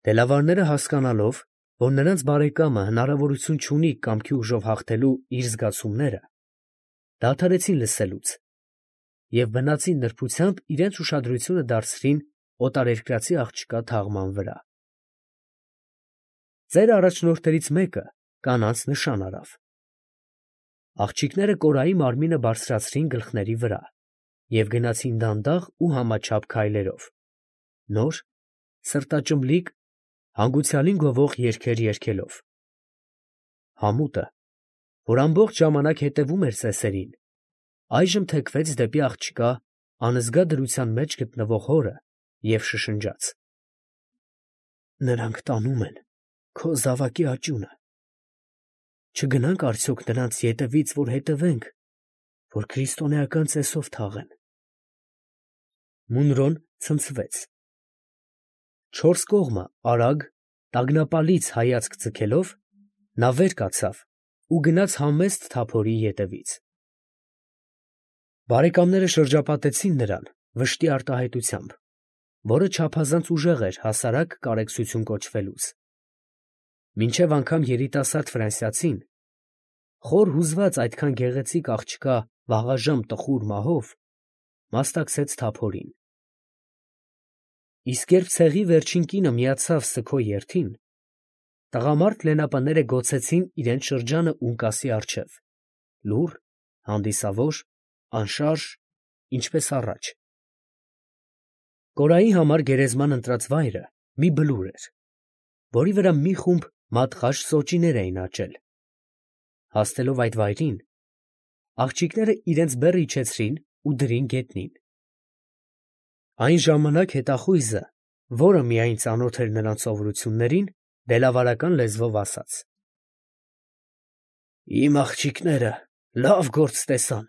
Դելավարները հասկանալով, որ նրանց բարեկամը հնարավորություն չունի կամքի ուժով հաղթելու իր զգացումները, դադարեցին լսելուց և բնածին նրբությամբ իրենց ուշադրությունը դարձրին օտարերկրացի աղջկա թաղման վրա։ Ծեր առաջնորդներից մեկը կանանց նշան արավ։ Աղջիկները Կորայի մարմինը բարձրացրին գլխների վրա և գնացին դանդաղ ու համաչափ քայլերով, նոր, սրտաճմլիկ, հանգուցյալին գովող երգեր երգելով։ Համուտը, որ ամբողջ ժամանակ հետևում էր ծեսերին, այժմ թեքվեց դեպի աղջկա անզգա դրության մեջ գտնվող հորը և շշնջաց. «Նրանք տանում են քո զավակի աճյունը. չգնա՞նք արդյոք նրանց ետևից, որ հետևենք, որ քրիստոնեական ծեսով թաղեն»։ Մունրոն ցնցվեց։ Չորս կողմը արագ, տագնապալից հայացք ձգելով, նա վեր կացավ ու գնաց համեստ թափորի ետևից։ Բարեկամները շրջապատեցին նրան վշտի արտահայտությամբ, որը չափազանց ուժեղ էր հասարակ կարեկցություն կոչվելուց։ Մինչև անգամ երիտասարդ ֆրանսիացին, խոր հուզված այդքան գեղեցիկ աղջկա վաղաժամ տխուր մահով, մասնակցեց թափորին։ Իսկ երբ ցեղի վերջին կինը միացավ սգո երթին, տղամարդ լենապները գոցեցին իրենց շրջանը ունկասի առջև, լուռ, հանդիսավոր, անշարժ, ինչպես առաջ։ Կորայի համար գերեզման ընտրած վայրը մի բլուր էր, որի վրա մի խումբ մատղաշ սոճիներ էին աճել։ Հասնելով այդ վայրին, աղջիկները իրենց բեռը իջեցրին ու դրին գետնին։ Այն ժամանակ հետախույզը, որը միայն ծանոթ էր նրանց սովորություններին, դելավարական լեզվով ասաց. «Իմ աղջիկները լավ գործ տեսան.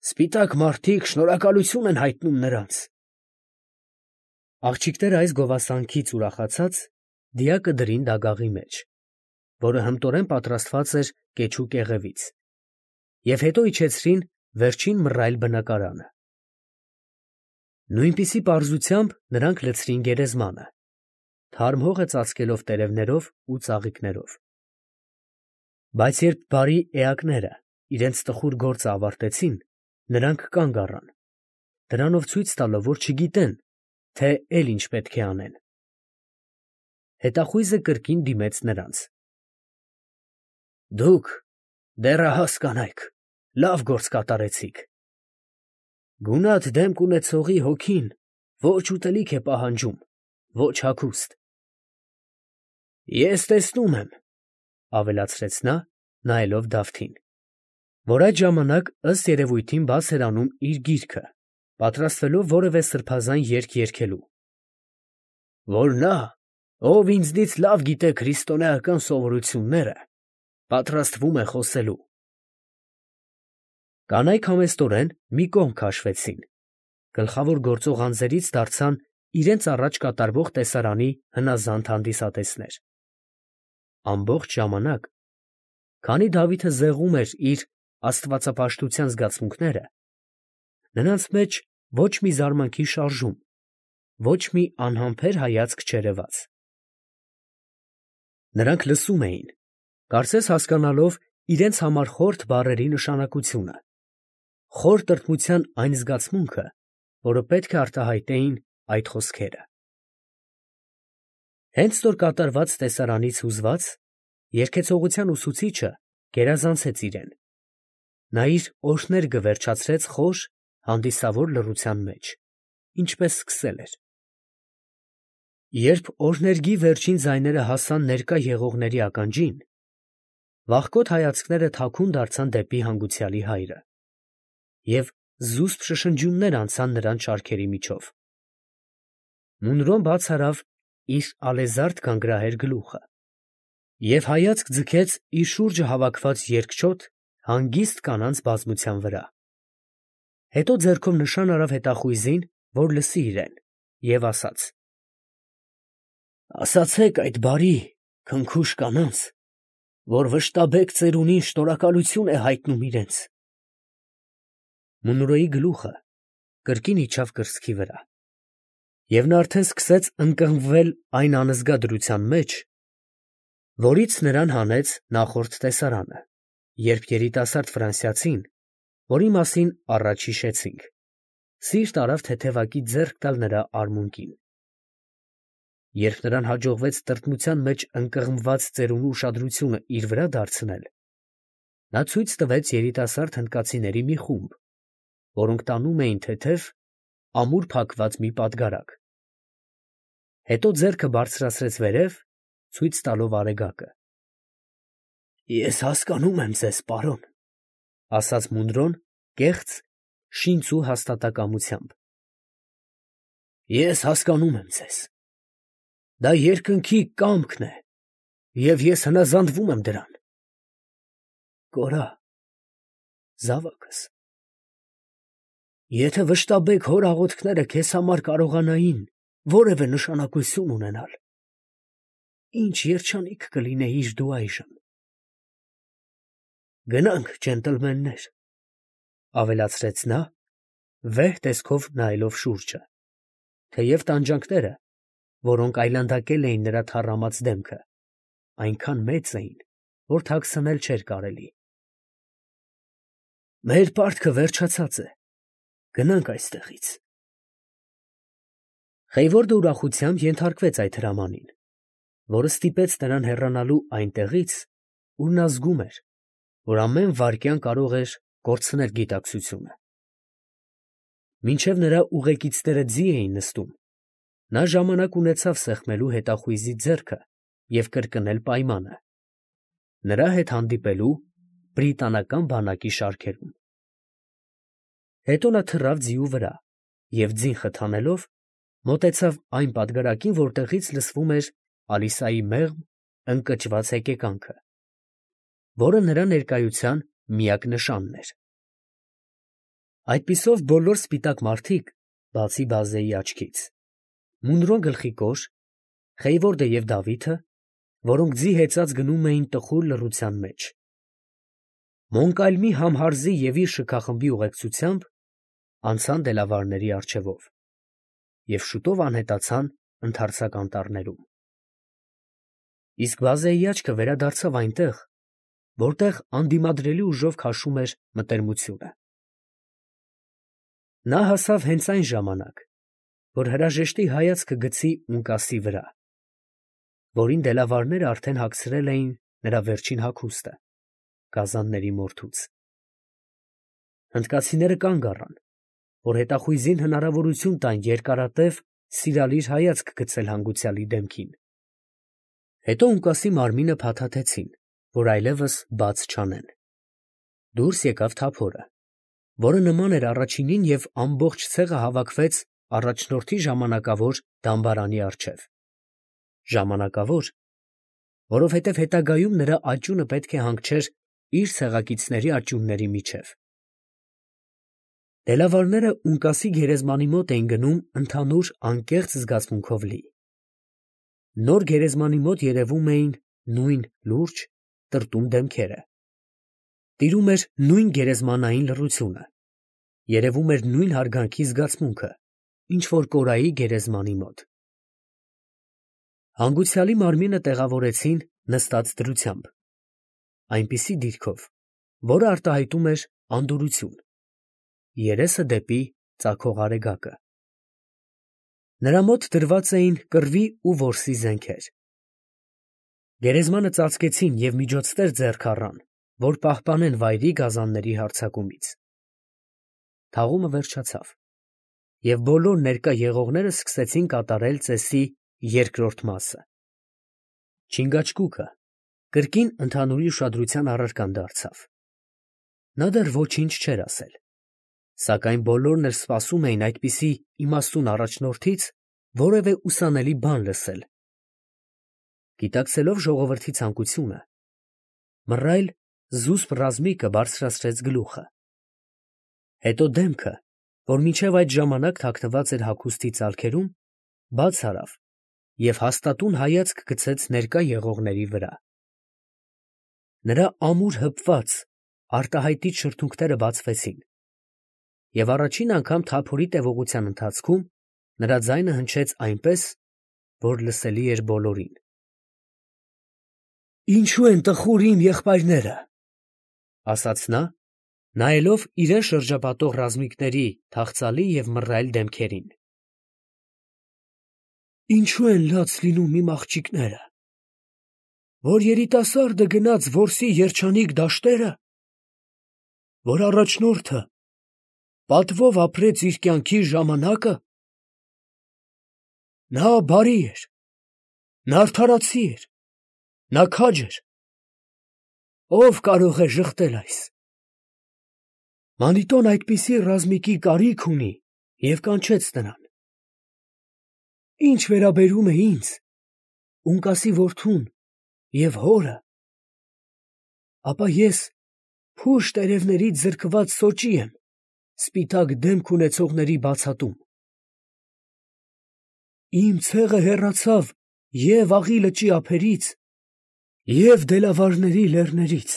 սպիտակ մարդիկ շնորհակալություն են հայտնում նրանց»։ Աղջիկները այս գովասանքից ուրախացած, դիակը դրին դագաղի մեջ, որը հմտորեն պատրաստված էր կեչու կեղևից, և հետո իջեցրին վերջին մռայլ բնակարանը։ Նույնպիսի պարզությամբ նրանք լցրին գերեզմանը, թարմ հողը ծածկելով տերևներով ու ծաղիկներով։ Բայց երբ բարի էակները իրենց տխուր գործը ավարտեցին, նրանք կանգ առան, դրանով ցույց տալով, որ չգիտեն, թե էլ ինչ պետք է անեն։ Հետախույզը կրկին դիմեց նրանց. «Դուք, դեռահաս կանայք, լավ գործ կատարեցիք. գունատ դեմք ունեցողի հոգին ոչ ուտելիք է պահանջում, ոչ հագուստ։ Ես տեսնում եմ, ֊ ավելացրեց նա, նայելով Դավթին, որ այդ ժամանակ ըստ երևույթին բաց էր անում իր գիրքը, պատրաստվելով որևէ սրբազան երգ երգելու, ֊ որ նա, ով ինձնից լավ գիտե քրիստոնեական սովորությունները, պատրաստվում է խոսելու»։ Կանայք համեստորեն մի կողմ քաշվեցին, գլխավոր գործող անձերից դարձան իրենց առաջ կատարվող տեսարանի հնազանդ հանդիսատեսներ։ Ամբողջ ժամանակ, քանի Դավիթը զեղում էր իր աստվածապաշտության զգացմունքները, նրանց մեջ ոչ մի զարմանքի շարժում, ոչ մի անհամբեր հայացք չերևաց։ Նրանք լսում էին, կարծես հասկանալով իրենց համար խորթ բառերի նշանակությունը, խոր տրտմության այն զգացմունքը, որը պետք է արտահայտեին այդ խոսքերը։ Հենց որ կատարված տեսարանից հուզված, երգեցողության ուսուցիչը գերազանցեց իրեն։ Նա իր օրհներգը վերջացրեց խոր, հանդիսավոր լռության մեջ, ինչպես սկսել էր։ Երբ օրհներգի վերջին ձայները հասան ներկա եղողների ականջին, վախկոտ հայացքները թաքուն դարձան դեպի հանգուցյալի հայրը, և զուսպ շշնջյուններ անցան նրանց շարքերի միջով։ Մունրոն բաց արավ իր ալեզարդ գանգրահեր գլուխը և հայացք ձգեց իր շուրջը հավաքված երկչոտ, հանգիստ կանանց բազմության վրա։ Հետո ձեռքով նշան արավ հետախույզին, որ լսի իրեն, և ասաց. «Ասացեք այդ բարի, քնքուշ կանանց, որ վշտաբեկ ծերունին շնորհակալություն է հայտնում իրենց»։ Մունրոյի գլուխը կրկին իջավ կրծքի վրա, Եվ նա արդեն սկսեց ընկղմվել այն անզգա դրության մեջ, որից նրան հանեց նախորդ տեսարանը, երբ երիտասարդ ֆրանսիացին, որի մասին առաջ հիշեցինք, սիրտ արավ թեթևակի ձեռք տալ նրա արմունկին։ Երբ նրան հաջողվեց տրտմության մեջ ընկղմված ծերունու ուշադրությունը իր վրա դարձնել, նա ցույց տվեց երիտասարդ հնդկացիների մի խումբ, որոնք տանում էին թեթև, ամուր փակված մի պատգարակ։ Հետո ձեռքը բարձրացրեց վերև, ցույց տալով արեգակը։ «Ես հասկանում եմ ձեզ, պարոն», ասաց Մունրոն կեղծ, շինծու հաստատակամությամբ։ «Ես հասկանում եմ ձեզ։ Դա երկնքի կամքն է, և ես հնազանդվում եմ դրան։ Կորա, զավակս, եթե վշտաբեկ հոր աղոթքները քեզ համար կարողանային որևէ նշանակություն ունենալ, ինչ երջանիկ կլինեիր դու այժմ։ Գնանք, ջենտլմեններ, ավելացրեց նա, վեհ տեսքով նայելով շուրջը, թեև տանջանքները, որոնք այլանդակել էին նրա թառամած դեմքը, այնքան մեծ էին, որ թաքցնել չէր կարելի։ Մեր պարտքը վերջացած է, գնանք այստեղից։ Խեյվորդը ուրախությամբ ենթարկվեց այդ հրամանին, որը ստիպեց նրան հեռանալու այնտեղից, ուր նա զգում էր, որ ամեն վայրկյան կարող էր կորցնել գիտակցությունը։ Մինչև նրա ուղեկիցները ձի էին նստում, նա ժամանակ ունեցավ սեղմելու հետախույզի ձեռքը և կրկնել պայմանը, նրա հետ հանդիպելու բրիտանական բանակի շարքերում։ Հետո նա թռավ ձիու վրա և ձին խթանելով մոտեցավ այն պատգարակին, որտեղից լսվում էր Ալիսայի մեղմ, ընկճված հեկեկանքը, որը նրա ներկայության միակ նշանն էր։ Այդպիսով բոլոր սպիտակ մարդիկ, բացի բազեի աչքից, Մունրոն գլխիկոր, Խեյվորդը և Դավիթը, որոնք ձի հեծած գնում էին տխուր լռության մեջ, Մոնկալմի Համհարզի և իր շքախմբի ուղեկցությամբ անցան դելավարների առջևով և շուտով անհետացան ընդարձակ անտառներում։ Իսկ բազեի աչքը վերադարձավ այնտեղ, որտեղ անդիմադրելի ուժով քաշում էր մտերմությունը։ Նա հասավ հենց այն ժամանակ, որ հրաժեշտի հայացքը գցի ունկասի վրա, որին դելավարները արդեն հագցրել էին նրա վերջին հագուստը, գազանների մորթուց։ Հնդկացիները կանգ առան, որ հետախույզին հնարավորություն տան երկարատև, սիրալիր հայացք գցել հանգուցյալի դեմքին։ Հետո ունկասի մարմինը փաթաթեցին, որ այլևս բաց չանեն։ Դուրս եկավ թափորը, որը նման էր առաջինին և ամբողջ ցեղը հավաքվեց առաջնորդի ժամանակավոր դամբարանի առջև։ Ժամանակավոր, որովհետև հետագայում նրա աճյունը պետք է հանգչեր իր ցեղակիցների աճյունների միջև։ Դելավարները ունկասի գերեզմանի մոտ էին գնում ընդհանուր անկեղծ զգացմունքով լի։ Նոր գերեզմանի մոտ երևում էին նույն լուրջ, տրտում դեմքերը։ Տիրում էր նույն գերեզմանային լռությունը, երևում էր նույն հարգանքի զգացմունքը, ինչ որ Կորայի գերեզմանի մոտ։ Հանգուցյալի մարմինը տեղավորեցին նստած դրությամբ, այնպիսի դիրքով, որը արտահայտում էր անդորրություն, երեսը դեպի ծագող արեգակը։ Նրա մոտ դրված էին կռվի ու որսի զենքեր։ Գերեզմանը ծածկեցին և միջոցներ ձեռք առան, որ պահպանեն վայրի գազանների հարձակումից։ Թաղումը վերջացավ, և բոլոր ներկա եղողները սկսեցին կատարել ծեսի երկրորդ մասը։ Չինգաչգուկը կրկին ընդհանուրի ուշադրության առարկան դարձավ։ Նա դեռ ոչինչ չէր ասել, սակայն բոլորն էլ սպասում էին այդպիսի իմաստուն առաջնորդից որևէ ուսանելի բան լսել։ Գիտակցելով ժողովրդի ցանկությունը, մռայլ զուսպ ռազմիկը բարձրացրեց գլուխը։ Հետո դեմքը, որ մինչև այդ ժամանակ թաքնված էր հագուստի ծալքերում, բաց արավ և հաստատուն հայացք գցեց ներկա եղողների վրա։ Նրա ամուր հպված, արտահայտիչ շրթունքները բացվեցին, և առաջին անգամ թափորի տևողության ընթացքում Նրա ձայնը հնչեց այնպես, որ լսելի էր բոլորին։ «Ինչու են տխուր իմ եղբայրները», ֊ ասաց նա, նայելով իրեն շրջապատող ռազմիկների թախծալի և մռայլ դեմքերին։ «Ինչու են լաց լինում իմ աղջիկները, որ երիտասարդը գնաց որսի երջանիկ դաշտերը, որ առաջնորդը պատվով ապրեց իր կյանքի ժամանակը։ Նա բարի էր, նա արդարացի էր, նա քաջ էր. ով կարող է ժխտել այս։ Մանիտոն այդպիսի ռազմիկի կարիք ունի և կանչեց նրան։ Ինչ վերաբերում է ինձ, Ունկասի որդուն և հորը, ապա ես փուշ տերևներից զրկված սոճի եմ սպիտակ դեմք ունեցողների բացատում։ Իմ ցեղը հեռացավ և Աղի լճի ափերից, և դելավարների լեռներից։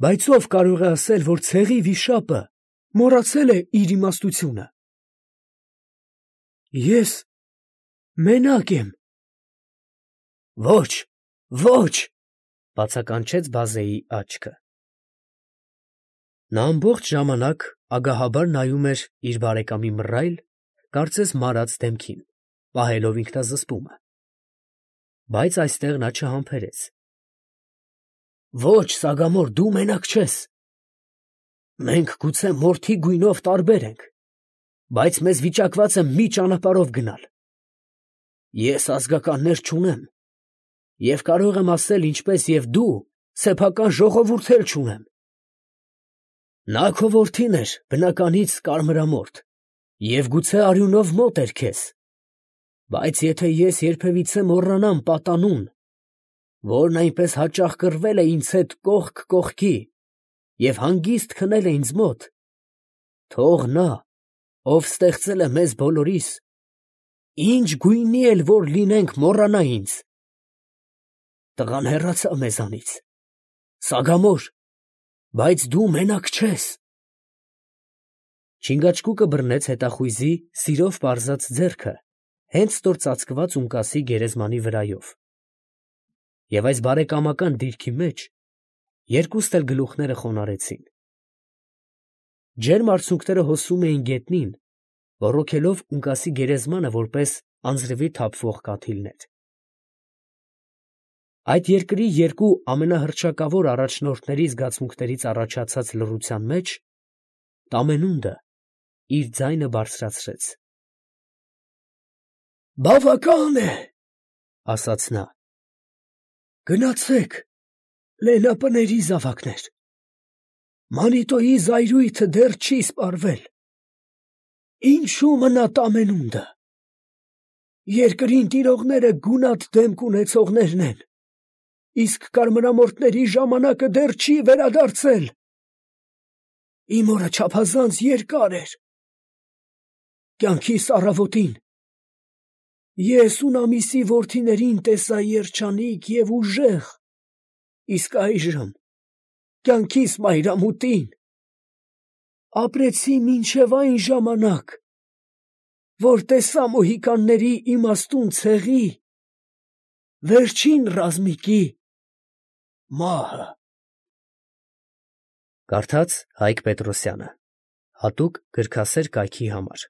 Բայց ով կարող է ասել, որ ցեղի վիշապը մոռացել է իր իմաստությունը։ Ես մենակ եմ։ Ոչ, ոչ, բացականչեց բազեի աչքը։ Նա ամբողջ ժամանակ ագահաբար նայում էր իր բարեկամի մռայլ, կարծես մարած դեմքին, պահելով ինքնազսպումը։ Բայց այստեղ նա չհամբերեց։ Ոչ, Սագամոր, դու մենակ չես։ Մենք գուցե մորթի գույնով տարբեր ենք, բայց մեզ վիճակված է մի ճանապարհով գնալ։ Ես ազգականներ չունեմ և կարող եմ ասել, ինչպես և դու, սեփական ժողովուրդ էլ չունեմ։ Նա քո որդին էր, բնականից կարմրամորթ, և գուցե արյունով մոտ էր քեզ, բայց եթե ես երբևիցե մոռանամ պատանուն, որն այնպես հաճախ կռվել է ինձ հետ կողք կողքի և հանգիստ քնել է ինձ մոտ, թող նա, ով ստեղծել է մեզ բոլորիս, ինչ գույնի էլ որ լինենք, մոռանա ինձ։ Տղան հեռացավ մեզանից, Սագամոր, բայց դու մենակ չես։ Չինգաչկուկը բռնեց հետախույզի սիրով պարզած ձեռքը հենց ստոր ծածկված ունկասի գերեզմանի վրայով, և այս բարեկամական դիրքի մեջ երկուստ էլ գլուխները խոնարհեցին։ Ջերմ արցունքները հոսում էին գետնին, ոռոգելով ունկասի գերեզմանը որպես անձրևի թափվող կաթիլներ։ Այդ երկրի երկու ամենահռչակավոր առաջնորդների զգացմունքներից առաջացած լռության մեջ Տամենունդը իր ձայնը բարձրացրեց։ «Բավական է, ֊ ասաց նա, ֊ գնացեք, լենապների զավակներ, Մանիտոյի զայրույթը դեռ չի սպառվել։ Ինչու մնա Տամենունդը։ Երկրին տիրողները գունատ դեմք ունեցողներն են, իսկ կարմրամորթների ժամանակը դեռ չի վերադարձել։ Իմ օրը չափազանց երկար էր։ Կյանքիս առավոտին ես Ունամիսի որդիներին տեսա երջանիկ և ուժեղ, իսկ այժմ կյանքիս մայրամուտին ապրեցի մինչև այն ժամանակ, որ տեսա մոհիկանների իմաստուն ցեղի վերջին ռազմիկի մահը»։ Կարդաց Հայկ Պետրոսյանը, հատուկ գրքասեր կայքի համար։